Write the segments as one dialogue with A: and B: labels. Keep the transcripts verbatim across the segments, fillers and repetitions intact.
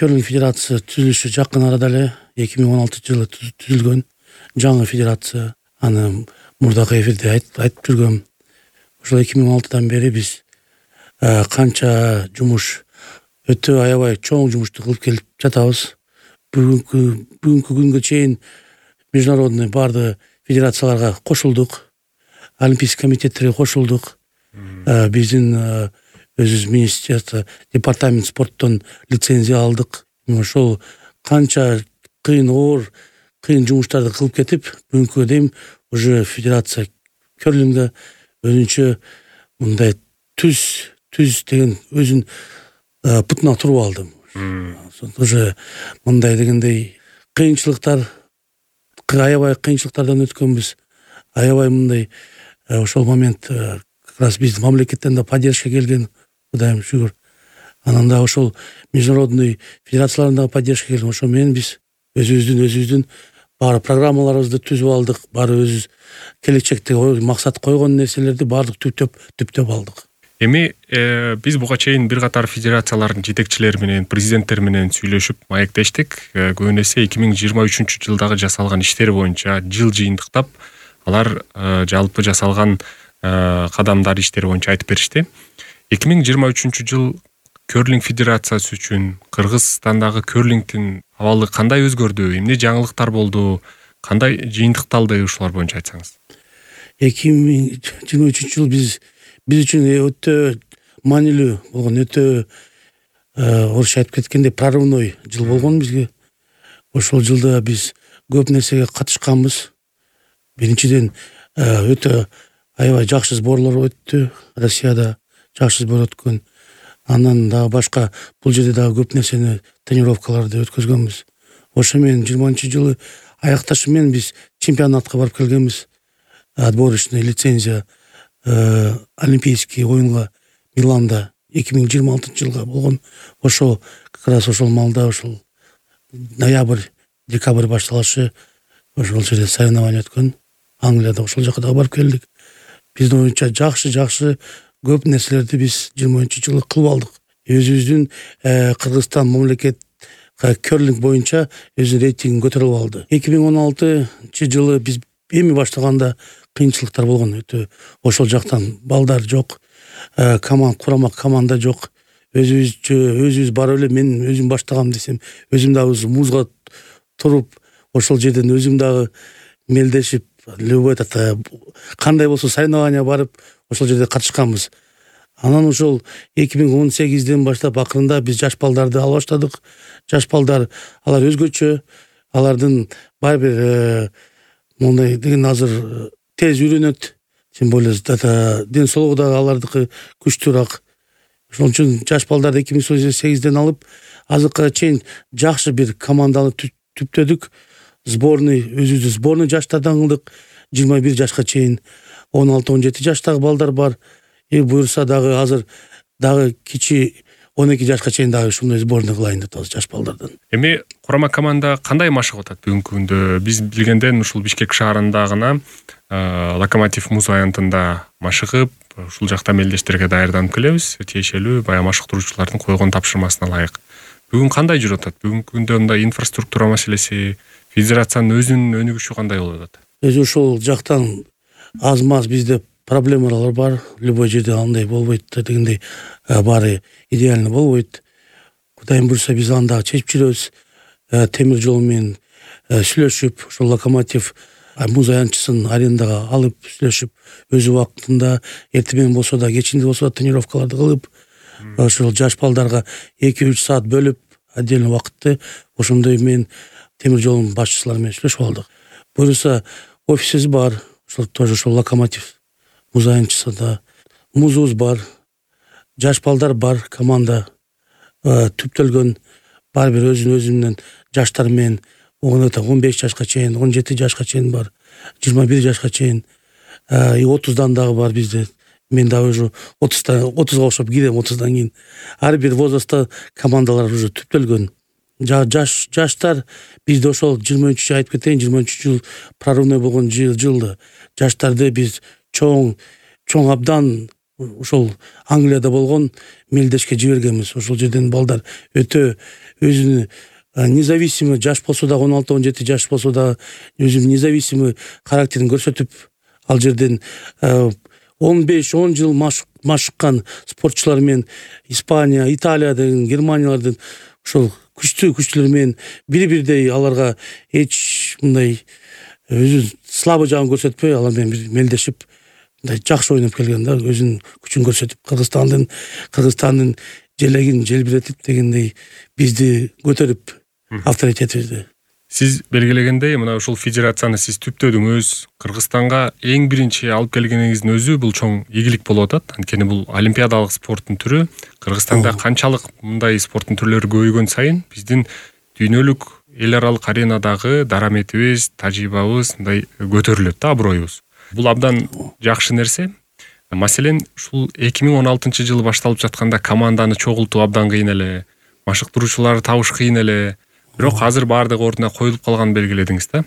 A: Керлинг федерациясы түзүлүшү жакын арада эле эки миң он алтынчы жылы түзүлгөн жаңы федерация. Аны мурдакы эфирде айтып жүргөм. Ошол эки миң он алтыдан бери биз канча жумуш, өтө аябай чоң жумушту кылып келип жатабыз. Бүгүнкү бүгүнкү күнгө чейин международный баардык федерацияларга кошулдук, олимпийский комитеттерге кошулдук. Биздин өзүбүз министерство, департамент спорттон лицензия алдык. Ошол канча кыйын оор, кыйын жумуштарды кылып кетип, бүгүнкүгө дейин уже федерация керлингде өзүнчө мындай түз түз деген өзүн путуна туруп алды. Уже мындай дегендей кыйынчылыктар, аябай кыйынчылыктардан өткөнбүз. Аябай мындай ошол момент как раз биздин мамлекеттен да поддержка келген, Кудайым шүгүр. Анан да ошол международный федерациялардан да поддержка келген. Ошо менен биз өзүбүздүн өзүбүздүн баары программаларыбызды түзүп алдык. Баары өзүбүз келечекте максат койгон нерселерди баардык түптөп түптөп алдык.
B: Эми э, биз буга чейин бир катар федерациялардын жетекчилери менен, президенттери менен сүйлөшүп маектештик. Э, Көбүн эсе эки миң жыйырма үчүнчү жылдагы жасалган иштер боюнча жыл жыйынтыктап, алар э, жалпы жасалган э, кадамдар, иштер боюнча айтып беришти. эки миң жыйырма үчүнчү жыл керлинг федерациясы үчүн, Кыргызстандагы керлингдин абалы кандай өзгөрдү, эмне жаңылыктар болду, кандай жыйынтыкталды, ушулар боюнча айтсаңыз.
A: эки миң жыйырма үчүнчү жыл биз биз үчүн өтө маанилүү болгон, өтө орусча айтып кеткендей прорывной жыл болгон бизге. Ошол жылда биз көп нерсеге катышканбыз. Биринчиден өтө аябай жакшы сборлор өттү. Россияда жакшы сбор өткөн. Андан дагы башка бул жерде дагы көп нерсени, тренировкаларды өткөзгөнбүз. Ошо менен жыйырманчы жылы аякташы менен биз чемпионатка барып келгенбиз. Отборочный лицензия олимпийский оюнга Миланда эки миң жыйырма алтынчы жылга болгон. Ошол как раз ошол малда, ошол ноябрь, декабрь башталышы ошол жерде соревнование өткөн. Англияда ошол жака да барып келдик. Биздин оюнча жакшы-жакшы көп нерселерди биз жыйырманчы жылы кылып алдык. Өзүбүздүн Кыргызстан мамлекет керлинг боюнча өзүнүн рейтингин көтөрүп алды. эки миң он алтынчы жылы биз эми баштаганда кыйынчылыктар болгон. Өтө ошол жактан балдар жок, команд курама команда жок. Өзүбүзчө өзүбүз барып эле мен өзүм баштагам десем, өзүм дагы музга туруп, ошол жерден өзүм дагы мелдешип, любой кандай болсо соревнования барып, ошол жерде катышканбыз. Анан ошол эки миң он сегизден баштап акырында биз жаш балдарды ала баштадык. Жаш балдар, алар өзгөчө, алардын баары бир мондай деген азыр тез үйрөнөт. Тем более ден соолугу да алардыкы күчтүүрөөк. Ошон үчүн жаш балдарды эки миң он сегизден алып, азыркыга чейин жакшы бир команданы түптөдүк. Сборный, өзүбүздүн сборный жаштардан кылдык. жыйырма бир жашка чейин он алты он жети жаштагы балдар бар. И буюрса дагы азыр дагы кичи он эки жашка чейин дагы ушундай сборный кылайын деп атабыз жаш балдардан.
B: Эми курама команда кандай машык атат бүгүнкү күндө? Биз билгенден ушул Бишкек шаарында гана Локомотив муз аянтында машыгып, ушул жакта мелдештерге даярданып келебиз. Тиешелүү баягы машыктыруучулардын койгон тапшырмасына ылайык. Бүгүн кандай жүрүп атат? Бүгүнкү күндө мындай инфраструктура маселеси, федерациянын өзүнүн өнүгүшү кандай болуп атат?
A: Өзү ошол жактан аз-маз бизде проблемалар бар. Любой жерде андай болбойт дегендей, баары идеально болбойт. Кудайым буйрса биз аны дагы чечип жүрөбүз. Темир жол менен сүйлөшүп, ошол Локомотив муз аянтчысын арендага алып сүйлөшүп, өзү убактында эртең менен болсо да, кечинде болсо да тренировкаларды кылып, ошол жаш балдарга эки үч саат бөлүп, отдельный убакытты ошондой менен темир жолдун башчылары менен сүйлөшүп алдык. Буюрса офисибиз бар, ошол тоже ошол Локомотив муз аянтчысында музубуз бар, жаш балдар бар, команда түптөлгөн, баары бир өзүнүн өзүнүн жаштар менен он беш жашка чейин, он жети жашка чейин бар, жыйырма бир жашка чейин, отуздан дагы бар бизде. Мен дагы уже отузга окшоп кирем, отуздан кийин. Ар бир возрастта командалар уже түптөлгөн. Жаш жаштар бизде ошол жыйырма үчүнчү айтып кетейин, жыйырма үчүнчү жыл прорывной болгон жылды. Жаштарды биз чоң чоң абдан ошол Англияда болгон мелдешке жибергенбиз. Ошол жерден балдар өтө өзүнү независимый жаш болсо дагы он алты он жети жаш болсо дагы өзүнүн независимый характерин көрсөтүп, ал жерден он беш он жыл машыккан спортчулар менен Испания, Италиядан, Германиялардан ошол күчтүү күчтүүлөр менен бири бирдей аларга эч мындай өзүнүн слабый жагын көрсөтпөй, алар менен бир мелдешип мындай жакшы ойноп келген да, өзүнүн күчүн көрсөтүп, Кыргызстандын Кыргызстандын желегин желбиретип дегендей бизди көтөрүп авторитетибизди.
B: Сиз белгилегендей, мына ушул федерацияны сиз түптөдүңүз. Кыргызстанга эң биринчи алып келгениңиздин өзү бул чоң ийгилик болуп атат. Анткени бул олимпиадалык спорттун түрү. Кыргызстанда канчалык мындай спорттун түрлөрү көбөйгөн сайын биздин дүйнөлүк эл аралык аренадагы дараметибиз, тажрыйбабыз мындай көтөрүлөт да, аброюбуз. Бул абдан жакшы нерсе. Маселен, ушул эки миң он алтынчы жылы башталып жатканда команданы чогултуу абдан кыйын эле, машыктыруучуларды табыш кыйын эле. Бирок азыр баардыгы ордуна коюлуп калганын белгиледиңиз да.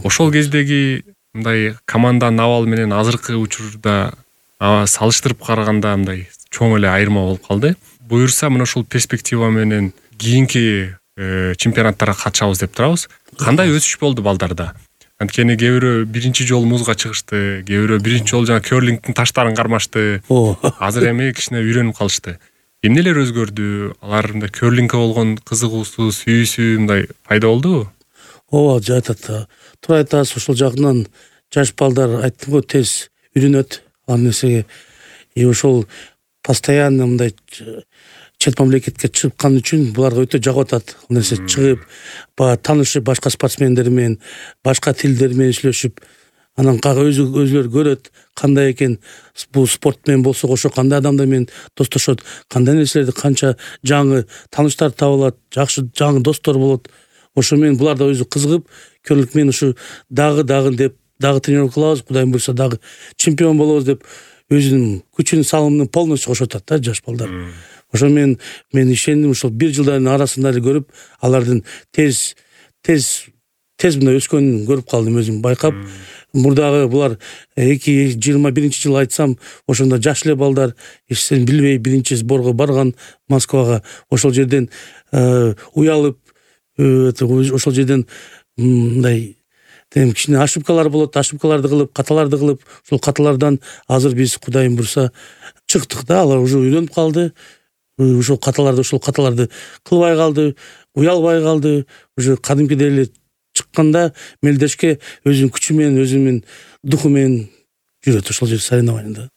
B: Ошол кездеги мындай команданын абалы менен азыркы учурда салыштырып караганда мындай чоң эле айырма болуп калды. Буюрса, мына ушул перспектива менен кийинки чемпионаттарга катышабыз деп турабыз. Кандай өсүш болду балдарда? Анткени кээ бирөө биринчи жолу музга чыгышты, кээ бирөө биринчи жолу жана керлингдин таштарын кармашты. Азыр эми кичине үйрөнүп калышты. Эмнелер өзгөрдү? Алар мындай керлингке болгон кызыгуусу, сүйүүсү мындай пайда болдубу?
A: Ооба, жатат. Туура айтасыз, ошол жагынан жаш балдар айттым го, тез үйрөнөт ал нерсеге. И ошол постоянно мындай чет мамлекетке чыккан үчүн буларга өтө жагып атат. Ал нерсе чыгып, таанышып, башка спортсмендер менен, башка тилдер менен сүйлөшүп, анан өзү өзүлөр көрөт кандай экен бул спорт менен болсо кошо кандай адамдар менен достошот, кандай нерселерди, канча жаңы тааныштар табылат, жакшы жаңы достор болот. Ошо менен булар да өзү кызыгып, керлинг менен ушу дагы дагы деп дагы тренировка кылабыз, Кудайым буйрса дагы чемпион болобуз деп өзүнүн күчүн салымын полностью кошуп атат да жаш балдар. Ошо менен мен ишендим, ушул бир жылдардын арасында эле көрүп, алардын тез тез тез мындай өскөнүн көрүп калдым, өзүм байкап. Мурдагы булар эки жыйырма биринчи жыл айтсам, ошондо жаш эле балдар, эчтен билбей биринчи сборго барган Москвага. Ошол жерден уялып, ошол жерден мындай тем кичине ошибкалар болот, ошибкаларды кылып, каталарды кылып, ошол каталардан азыр биз Кудайым буйрса чыктык да, алар уже үйрөнүп калды. Ошол каталарды, ошол каталарды кылбай калды, уялбай калды. Уже кадимкидей эле чыкканда мелдешке өзүнүн күчү менен, өзүнүн духу менен жүрөт ошол жер соревнованияда.